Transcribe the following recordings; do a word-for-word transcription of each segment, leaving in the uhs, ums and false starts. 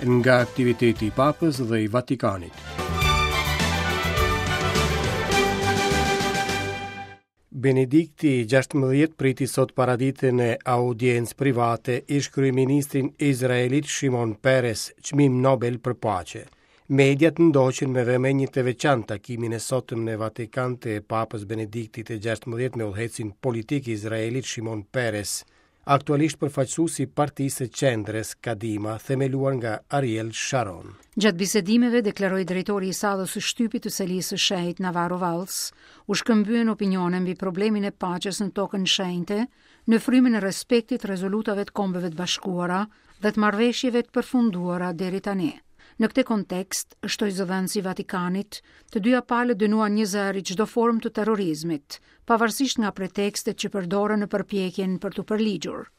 Nga aktiviteti i Papës dhe i Vatikanit. Benedikti i gjashtëmbëdhjetë priti sot paradite në audiencë private ish kryeministrin izraelit Shimon Peres, çmim Nobel për paqe. Mediat ndoqën me vëmendje të veçantë takimin e sotëm në Vatikan të Papës Benediktit të gjashtëmbëdhjetë me udhëheqësin politik izraelit Shimon Peres, aktualisht përfaqësues i partisë së qendrës Kadima, themeluar nga Ariel Sharon. Gjatë bisedimeve, deklaroi drejtori i sallës së shtypit të selisë së shenjtë Navarro Valls, u shkëmbyen opinione mbi problemin e paqes në tokën shenjte, në frymën e respektit rezolutave të Kombeve të Bashkuara dhe të marrëveshjeve të përfunduara deri tani. Në këtë kontekst, shtoi zëdhënësi i Vatikanit, të dyja palët dënuan një zëri çdo formë të terrorizmit, pavarësisht nga pretekstet që përdoren në përpjekjen për t'u përligjur.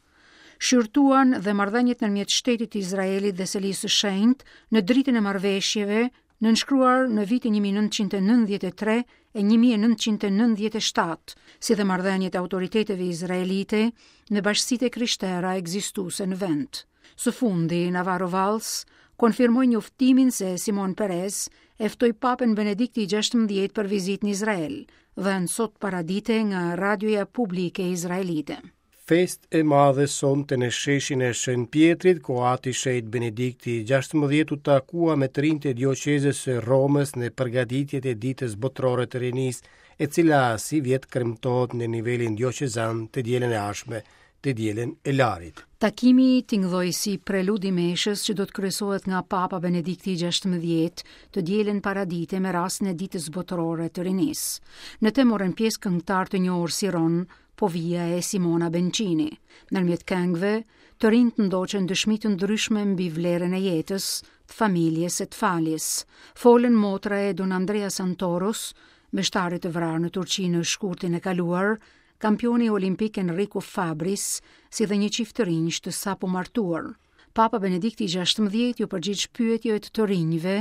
Shqyrtuan dhe marrëdhëniet ndërmjet shtetit të Izraelit dhe Selisë së Shenjtë në dritën e marrëveshjeve nënshkruar në vitin një mijë e nëntëqind e nëntëdhjetë e tre e një mijë e nëntëqind e nëntëdhjetë e shtatë, si dhe marrëdhëniet e autoriteteve izraelite me bashkësitë e krishtera ekzistuese në vend. Së fundi, Navarro Valls konfirmoi njoftimin se Simon Peres e ftoi Papën Benedikti i gjashtëmbëdhjetë për vizitë në Izrael, dhënë sot paradite nga radioja publike izraelite. Fest e madhe sonte në sheshin e Shën Pietrit, ku ati shenjt Benedikti i gjashtëmbëdhjetë u takua me të rinjtë e dioqezës së Romës në përgatitjet e ditës botërore të rinisë, e cila si vjet kremtohet në nivelin dioqezan të dielën e ardhshme, të dielën e Larit. Takimi tingëlloi si prelud i meshës që do të kryesohet nga Papa Benedikti i gjashtëmbëdhjetë të dielën paradite me rastin e ditës botërore të rinisë. Në të morën pjesë këngëtar të njohur si Ron, Povia e Simona Bencini. Ndërmjet këngëve, të rinjtë ndoqën dëshmi të ndryshme mbi vlerën e jetës, të familjes e të faljes. Folën motra e Don Andrea Santoros, meshtarit të vrarë në Turqi në shkurtin e kaluar, kampioni olimpik Enrico Fabris, si dhe një çift të rinjsh të sapo martuar. Papa Benedikti i gjashtëmbëdhjetë ju përgjigj pyetjeve të të rinjve,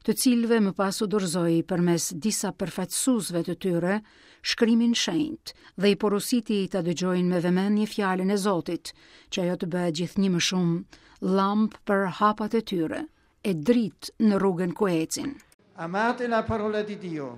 të cilëve më pas u dorëzoi përmes disa përfaqësuesve të tyre shkrimin shenjt dhe i porositi ta dëgjojnë me vëmendje fjalën e Zotit, që ajo të bëhet gjithnjë më shumë llampë për hapat e tyre, e dritë në rrugën ku ecin. Amate la parola di Dio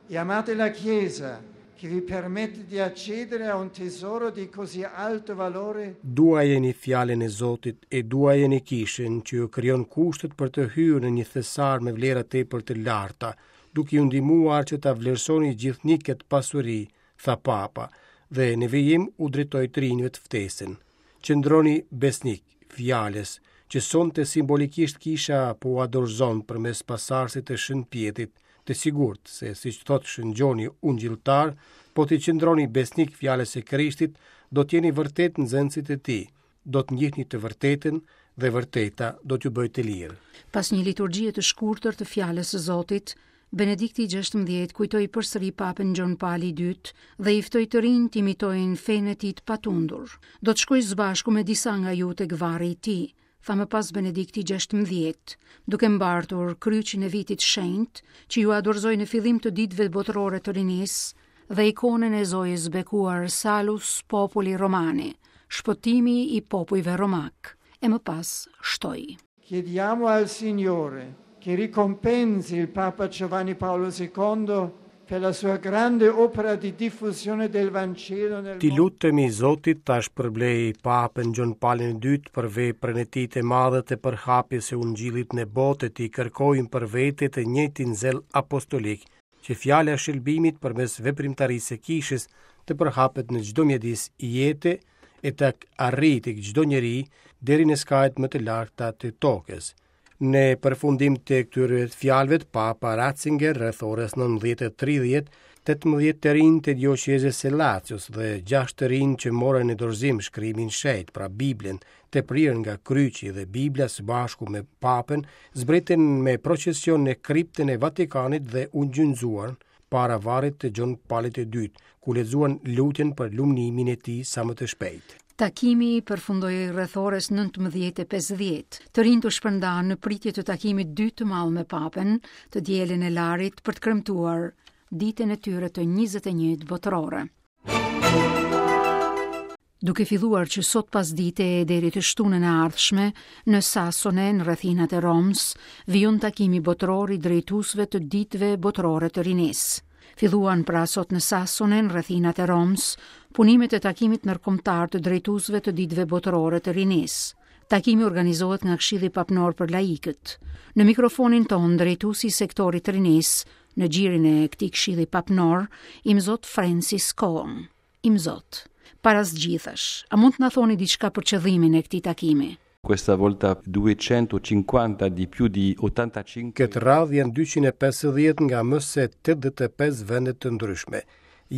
e amate la Chiesa, che vi permette di accedere a un tesoro di così alto valore. Duajeni fjalën e Zotit e duajeni kishën që ju krijon kushtet për të hyrë në një thesar me vlera tepër të larta, duke ju ndihmuar që ta vlerësoni gjithnjë këtë pasuri, tha Papa, dhe në vijim u drejtoi të rinjve të ftesën. Qëndroni besnik fjalës që sonte simbolikisht kisha po ua dorëzon përmes pasarsit të Shën Pjetrit, të sigurt se, siç thot Shën Gjoni Ungjilltar, po t'i qëndroni besnik fjalës së Krishtit, do t'jeni vërtet nxënësit e tij, do të njihni të vërtetën dhe vërteta do t'ju bëjë të lirë. Pas një liturgjie të shkurtër të fjalës së Zotit, Benedikti i gjashtëmbëdhjetë kujtoi përsëri Papën Gjon Pali i dytë dhe i ftoi të rinj të imitojnë fenë e tij të patundur. Do të shkoj së bashku me disa nga ju tek varri i tij, tha më pas Benedikti i gjashtëmbëdhjetë, duke mbartur kryqin e vitit shenjt, që ju adorzoi në fillim të ditëve botërore të rinisë dhe ikonën e Zojës bekuar Salus Populi Romani, shpëtimi i popujve romak, e më pas shtoi. Chiediamo al Signore che ricompensi il Papa Giovanni Paolo secondo per la sua grande opera di diffusione del Vangelo nel Ti mondo. lutemi Zotit ta shpërblej Papën Gjon Palin e dytë për veprën e tij të madhe të përhapjes së Ungjillit në botë, ti kërkojmë për vete të njëjtin zell apostolik, që fjala e shëlbimit përmes veprimtarisë së kishës të përhapet në çdo mjedis jete e të arrijë tek çdo njeri deri në skajet më të larta të tokës. Në përfundim të këtyre fjalëve, Papa Ratzinger rreth orës nëntëmbëdhjetë e tridhjetë, tetëmbëdhjetë të rinj të dioqezës së Lazios dhe gjashtë të rinj që morën në dorëzim shkrimin shenjt, pra Biblën, të prirë nga kryqi dhe Bibla së bashku me Papën, zbritën me procesion në kriptën e Vatikanit dhe u gjunjëzuan para varrit të Gjon Palit të dytë, ku lexuan lutjen për lumnimin e tij sa më të shpejtë. Takimi përfundoi rreth orës nëntëmbëdhjetë e pesëdhjetë. Të rinjtë u shpërndanë në pritje të takimit dytë të madh me Papën, të dielën e Larit, për të kremtuar ditën e tyre të njëzet e njëjtë botërore. Duke filluar që sot pasdite e deri të shtunën e ardhshme, në Sassone, në rrethinat e Romës, vijon takimi botëror i drejtuesve të ditëve botërore të rinisë. Filluan pra sot në Sassone, në rrethinat e Romës, punimet e takimit ndërkombëtar të drejtuesve të ditëve botërore të rinisë. Takimi organizohet nga Këshilli Papnor për Laikët. Në mikrofonin ton drejtuesi i sektorit të rinisë në gjirin e këtij Këshilli Papnor, Imzot Francis Cohn. Imzot, para së gjithash, a mund të na thoni diçka për qëllimin e këtij takimi? Questa volta duecentocinquanta di più di ottantacinque. Këtë radhë janë dyqind e pesëdhjetë nga më se tetëdhjetë e pesë vende të ndryshme.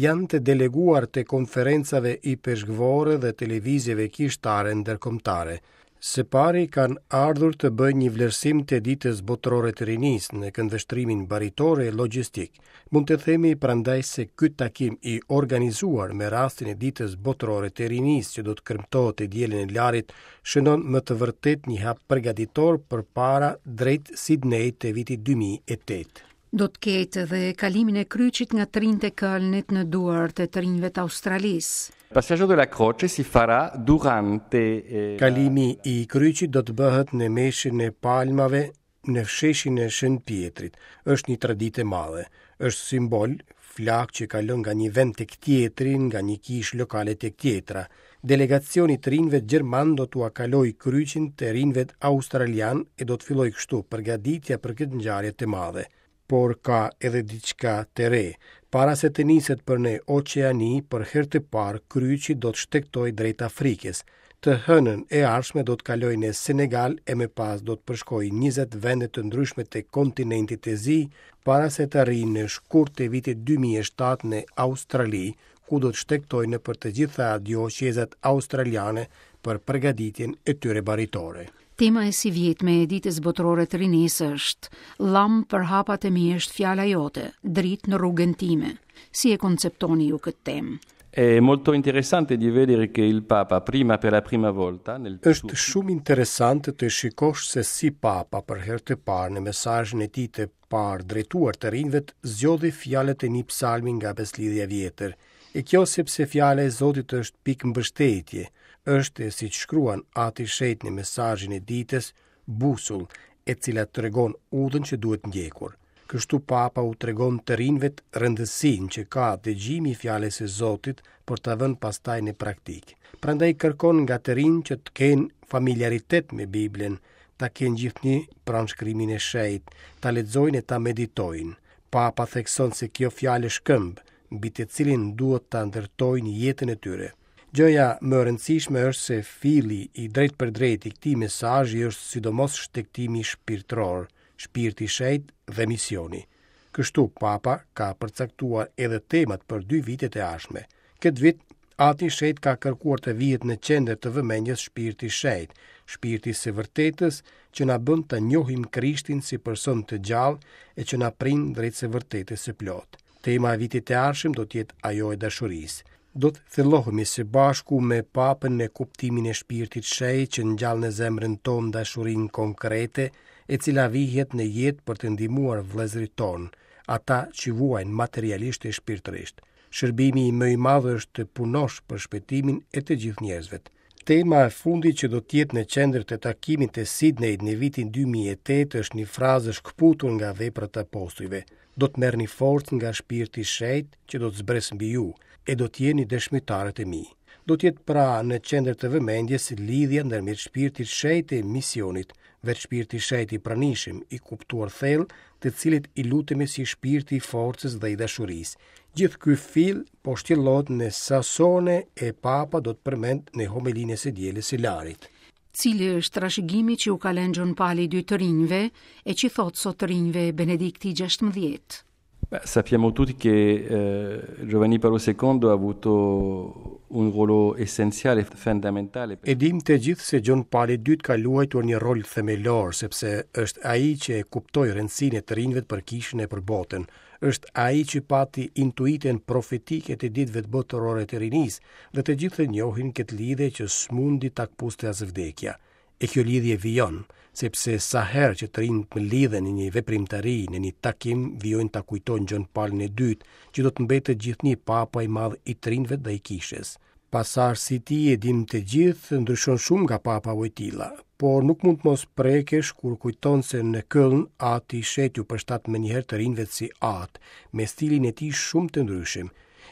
Janë të deleguar të konferencave ipeshkvore dhe televizjeve kishtare ndërkombëtare. Së pari kanë ardhur të bëjnë një vlerësim të ditës botërore të rinisë në këndvështrimin baritor e logjistik. Mund të themi prandaj se ky takim i organizuar me rastin e ditës botërore të rinisë që do të kremtohet të dielën e Larit, shënon më të vërtet një hap përgatitor përpara drejt Sydney të vitit dy mijë e tetë. Do të ketë edhe kalimin e kryqit nga të rinjtë e Kölnit në duart e të rinjve të Australisë. Passaggio della croce si farà durante, eh, Kalimi i kryqit do të bëhet në meshin e palmave në fsheshin e Shën Pietrit. Është një traditë e madhe. Është simbol, flak që kalon nga një vend tek tjetri, nga një kishë lokale tek tjetra. Delegacioni të rinjve gjerman do t'ua kalojë kryqin të rinjve australian e do të fillojë kështu përgatitja për këtë ngjarje të madhe. Por ka edhe diçka të re. Para se të niset për në Oqeani, për herë të parë kryqi do të shtegtojë drejt Afrikës. Të hënën e ardhshme do të kalojë në Senegal e më pas do të përshkojë njëzet vende të ndryshme të kontinentit të zi, para se të arrijë në shkurt të vitit dy mijë e shtatë në Australi, ku do të shtegtojë nëpër të gjitha dioqezat australiane për përgatitjen e tyre baritore. Tema e sivjetme e ditës botërore të rinisë është Llamë për hapat e mi është fjala jote, dritë në rrugën time. Si e konceptoni ju këtë temë? È molto interessante di vedere che il Papa prima per la prima volta nel Është shumë interesante të shikosh se si Papa për herë të parë në mesazhin e tij të parë drejtuar të rinjve zgjodhi fjalët e një psalmi nga Beslidhja e Vjetër. E kjo sepse fjala e Zotit është pikë mbështetje, është, siç shkruan Ati Shenjt në mesazhin e ditës, busull, e cila tregon udhën që duhet ndjekur. Kështu Papa u tregon të rinjve rëndësinë që ka dëgjimi i fjalës së Zotit për ta vënë pastaj në praktikë. Prandaj kërkon nga të rinj që të kenë familiaritet me Biblën, ta kenë gjithnjë pranë shkrimin e shenjtë, ta lexojnë e ta meditojnë. Papa thekson se kjo fjalë është këmbë, mbi të cilin duhet ta ndërtojnë jetën e tyre. Gjëja më e rëndësishme është se filli i drejtpërdrejtë i këtij mesazhi është sidomos shtegtimi shpirtëror, shpirti i shenjtë dhe misioni. Kështu Papa ka përcaktuar edhe temat për dy vitet e ardhshme. Këtë vit Ati i Shenjtë ka kërkuar të vihet në qendër të vëmendjes shpirti i shenjtë, shpirti i së vërtetës që na bën të njohim Krishtin si person të gjallë e që na prin drejt së vërtetës së plotë. Tema e vitit të ardhshëm do të jetë ajo e dashurisë. Do të thellohemi së bashku me Papën në kuptimin e shpirtit shenjtë që ngjall në zemrën tonë dashurinë konkrete, e cila vihet në jetë për të ndihmuar vëllezërit tonë, ata që vuajnë materialisht e shpirtërisht. Shërbimi më i madh është të punosh për shpëtimin e të gjithë njerëzve. Tema e fundit që do të jetë në qendër të takimit të Sydneyt në vitin dy mijë e tetë është një frazë shkëputur nga veprat e apostujve. Do të merrni forcë nga shpirti i shenjtë që do të zbresë mbi ju, e do të jeni dëshmitarët e mi. Do të jetë pra në qendër të vëmendjes lidhja ndërmjet shpirtit shenjtë e misionit, vetë shpirti i shenjtë i pranishëm, i kuptuar thellë, të cilit i lutemi si shpirti i forcës dhe i dashurisë. Gjithë ky fill po shtjellohet në Sassone e Papa do të përmend në homelinë e së dielës së Larit. Cili është trashëgimi që u ka lënë Gjon Pali i dytë të rinjve e që thot sot të rinjve Benedikti gjashtëmbëdhjetë? Beh, sappiamo tutti che, eh, Giovanni Paolo secondo ha avuto un ruolo essenziale, fondamentale. E dim të gjithë se Gjon Pali i dytë ka luajtur një rol themelor, sepse është ai që e kuptoi rëndësinë e të rinjve për kishën e për botën. Është ai që pati intuitën profetike të ditëve të botërore të rinisë dhe të gjithë e njohin këtë lidhje që s'mundi ta kpuste as vdekja. E kjo lidhje vijon, sepse sa herë që të rinjtë më lidhen në një veprimtari, në një takim, vijojnë ta kujtojnë Gjon Palin e dytë, që do të mbetet gjithnjë papa i madh i të rinjve dhe i kishës. Pasardhësi i tij e dim të gjithë ndryshon shumë nga Papa Wojtyla, por nuk mund të mos prekesh kur kujton se në Köln ati i shenjtë u përshtat menjëherë të rinjve si atë, me stilin e tij shumë të ndryshëm.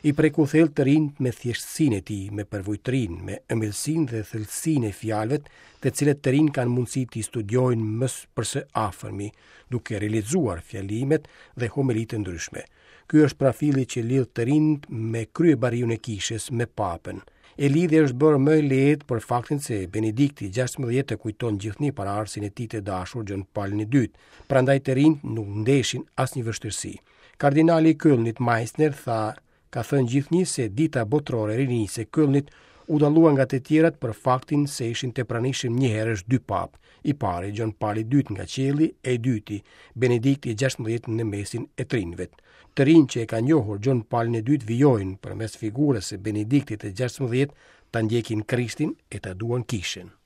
I preku thellë të rinjtë me thjeshtësinë e tij, me përvujtërinë, me ëmbëlsinë dhe thellësinë e fjalëve, të cilët të rinj kanë mundësi t'i studiojnë më për së afërmi, duke realizuar fjalimet dhe homelitë e ndryshme. Ky është profili që lidh të rinjt me kryebariun e kishës, me papën. E lidhja është bërë më e lehtë për faktin se Benedikti gjashtëmbëdhjetë e kujton gjithnjë paraardhësin e tij të dashur Gjon Palin e dytë, prandaj të rinjt nuk ndeshin asnjë vështirësi. Kardinali i Kölnit Meisner tha, ka thënë gjithnjë se dita botërore e rinisë e Kölnit u dallua nga të tjerat për faktin se ishin të pranishëm njëherësh dy papë, i pari Gjon Pali i dytë nga qielli e i dyti Benedikti gjashtëmbëdhjetë në mesin e të rinjve. Të rinj që e kanë njohur Gjon Palin e dytë vijojnë përmes figurës së Benediktit të gjashtëmbëdhjetë ta ndjekin Krishtin e ta duan kishën.